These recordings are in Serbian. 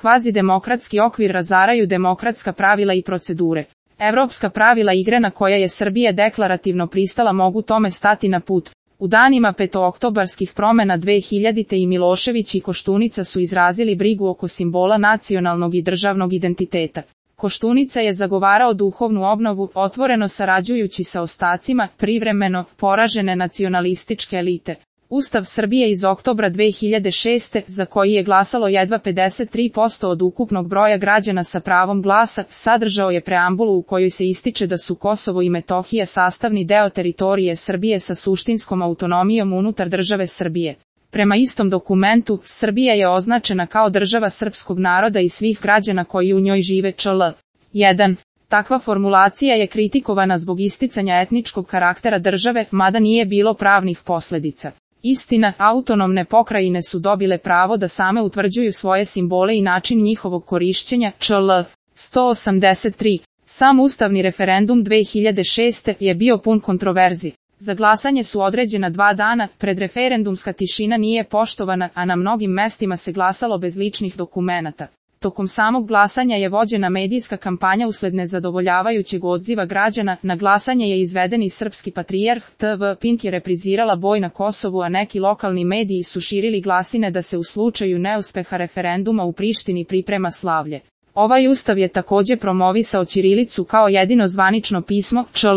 Kvazidemokratski okvir razaraju demokratska pravila i procedure. Evropska pravila igre na koja je Srbija deklarativno pristala mogu tome stati na put. U danima petooktobarskih promena 2000. i Milošević i Koštunica su izrazili brigu oko simbola nacionalnog i državnog identiteta. Koštunica je zagovarao duhovnu obnovu, otvoreno sarađujući sa ostacima privremeno poražene nacionalističke elite. Ustav Srbije iz oktobra 2006. za koji je glasalo jedva 53% od ukupnog broja građana sa pravom glasa, sadržao je preambulu u kojoj se ističe da su Kosovo i Metohija sastavni deo teritorije Srbije sa suštinskom autonomijom unutar države Srbije. Prema istom dokumentu, Srbija je označena kao država srpskog naroda i svih građana koji u njoj žive čl. 1. Takva formulacija je kritikovana zbog isticanja etničkog karaktera države, mada nije bilo pravnih posljedica. Istina, autonomne pokrajine su dobile pravo da same utvrđuju svoje simbole i način njihovog korišćenja, čl. 183. Sam ustavni referendum 2006. je bio pun kontroverzi. Za glasanje su određena 2 dana, predreferendumska tišina nije poštovana, a na mnogim mestima se glasalo bez ličnih dokumenata. Tokom samog glasanja je vođena medijska kampanja usled nezadovoljavajućeg odziva građana. Na glasanje je izveden i srpski patrijarh. TV Pink je reprizirala boj na Kosovu, a neki lokalni mediji su širili glasine da se u slučaju neuspeha referenduma u Prištini priprema slavlje. Ovaj ustav je također promovisao ćirilicu kao jedino zvanično pismo, čl.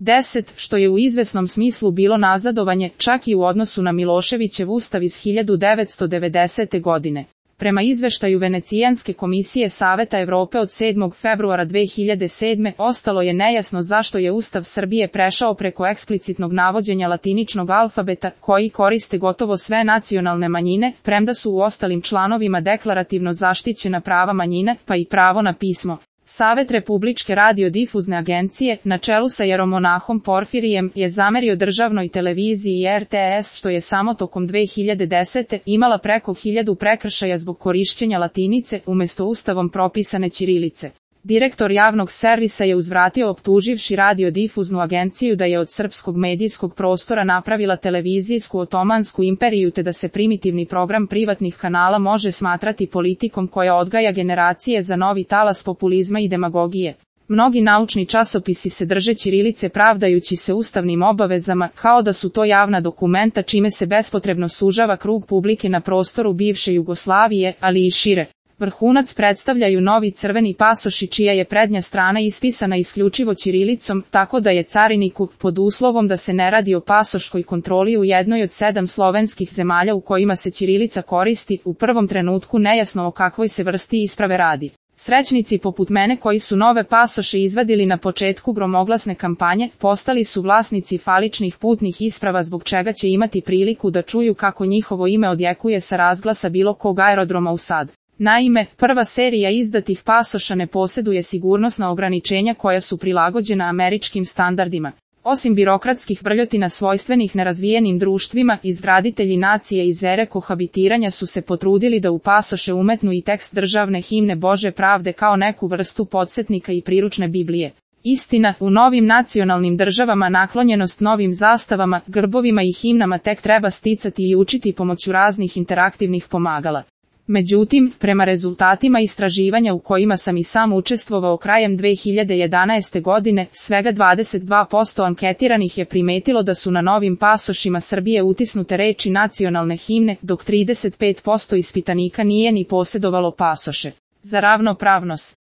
10, što je u izvesnom smislu bilo nazadovanje, čak i u odnosu na Miloševićev ustav iz 1990. godine. Prema izveštaju Venecijanske komisije Saveta Evrope od 7. februara 2007. ostalo je nejasno zašto je Ustav Srbije prešao preko eksplicitnog navođenja latiničnog alfabeta, koji koriste gotovo sve nacionalne manjine, premda su u ostalim članovima deklarativno zaštićena prava manjine, pa i pravo na pismo. Savet Republičke radiodifuzne agencije, na čelu sa jeromonahom Porfirijem, je zamerio državnoj televiziji i RTS što je samo tokom 2010. imala preko 1000 prekršaja zbog korišćenja latinice umjesto ustavom propisane ćirilice. Direktor javnog servisa je uzvratio optuživši radiodifuznu agenciju da je od srpskog medijskog prostora napravila televizijsku otomansku imperiju te da se primitivni program privatnih kanala može smatrati politikom koja odgaja generacije za novi talas populizma i demagogije. Mnogi naučni časopisi se drže ćirilice pravdajući se ustavnim obavezama, kao da su to javna dokumenta čime se bespotrebno sužava krug publike na prostoru bivše Jugoslavije, ali i šire. Vrhunac predstavljaju novi crveni pasoši čija je prednja strana ispisana isključivo ćirilicom, tako da je cariniku, pod uslovom da se ne radi o pasoškoj kontroli u jednoj od 7 slovenskih zemalja u kojima se ćirilica koristi, u prvom trenutku nejasno o kakvoj se vrsti isprave radi. Srećnici poput mene koji su nove pasoše izvadili na početku gromoglasne kampanje, postali su vlasnici faličnih putnih isprava zbog čega će imati priliku da čuju kako njihovo ime odjekuje sa razglasa bilo kog aerodroma u Sad. Naime, prva serija izdatih pasoša ne posjeduje sigurnosna ograničenja koja su prilagođena američkim standardima. Osim birokratskih vrljotina svojstvenih nerazvijenim društvima, izgraditelji nacije iz ere kohabitiranja su se potrudili da u pasoše umetnu i tekst državne himne Bože pravde kao neku vrstu podsjetnika i priručne Biblije. Istina, u novim nacionalnim državama naklonjenost novim zastavama, grbovima i himnama tek treba sticati i učiti pomoću raznih interaktivnih pomagala. Međutim, prema rezultatima istraživanja u kojima sam i sam učestvovao krajem 2011. godine, svega 22% anketiranih je primetilo da su na novim pasošima Srbije utisnute reči nacionalne himne, dok 35% ispitanika nije ni posjedovalo pasoše. Za ravnopravnost